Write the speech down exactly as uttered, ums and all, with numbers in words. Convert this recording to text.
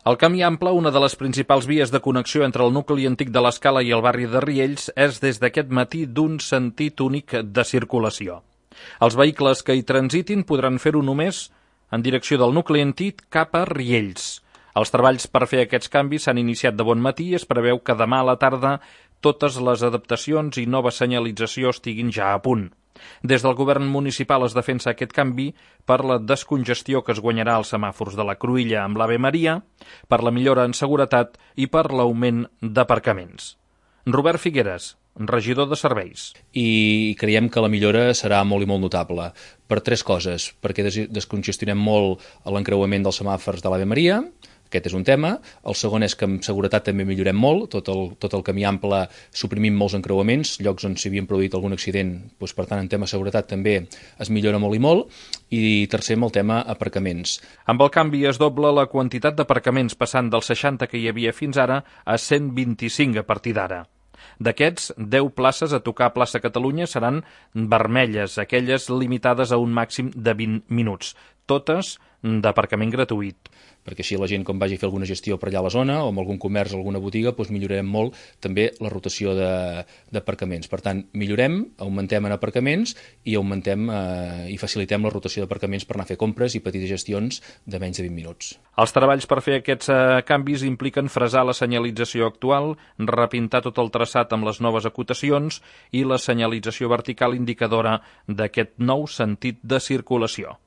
El camí ample, una de les principals vies de connexió entre el nucli antic de l'Escala i el barri de Riells, és des d'aquest matí d'un sentit únic de circulació. Els vehicles que hi transitin podran fer-ho només en direcció del nucli antic cap a Riells. Els treballs per fer aquests canvis s'han iniciat de bon matí i es preveu que demà a la tarda totes les adaptacions i nova senyalització estiguin ja a punt. Des del govern municipal es defensa aquest canvi per la descongestió que es guanyarà als semàfors de la Cruïlla amb l'Ave Maria, per la millora en seguretat i per l'augment d'aparcaments. Robert Figueres, regidor de serveis. I creiem que la millora serà molt i molt notable per tres coses, perquè descongestionem molt l'encreuament dels semàfors de l'Ave Maria. Aquest és un tema. El segon és que en seguretat també millorem molt, tot el, tot el camí ample suprimim molts encreuaments, llocs on s'havien produït algun accident, doncs, per tant en tema de seguretat també es millora molt i molt, i tercer amb el tema aparcaments. Amb el canvi es dobla la quantitat d'aparcaments passant dels seixanta que hi havia fins ara a cent vint-i-cinc a partir d'ara. D'aquests, deu places a tocar a Plaça Catalunya seran vermelles, aquelles limitades a un màxim de vint minuts, totes d'aparcament gratuït. Perquè així la gent, quan vagi a fer alguna gestió per allà a la zona o amb algun comerç o alguna botiga, doncs millorarem molt també la rotació d'aparcaments. Per tant, millorem, augmentem en aparcaments i augmentem eh, i facilitem la rotació d'aparcaments per anar a fer compres i petites gestions de menys de vint minuts. Els treballs per fer aquests eh, canvis impliquen fresar la senyalització actual, repintar tot el traçat amb les noves acotacions i la senyalització vertical indicadora d'aquest nou sentit de circulació.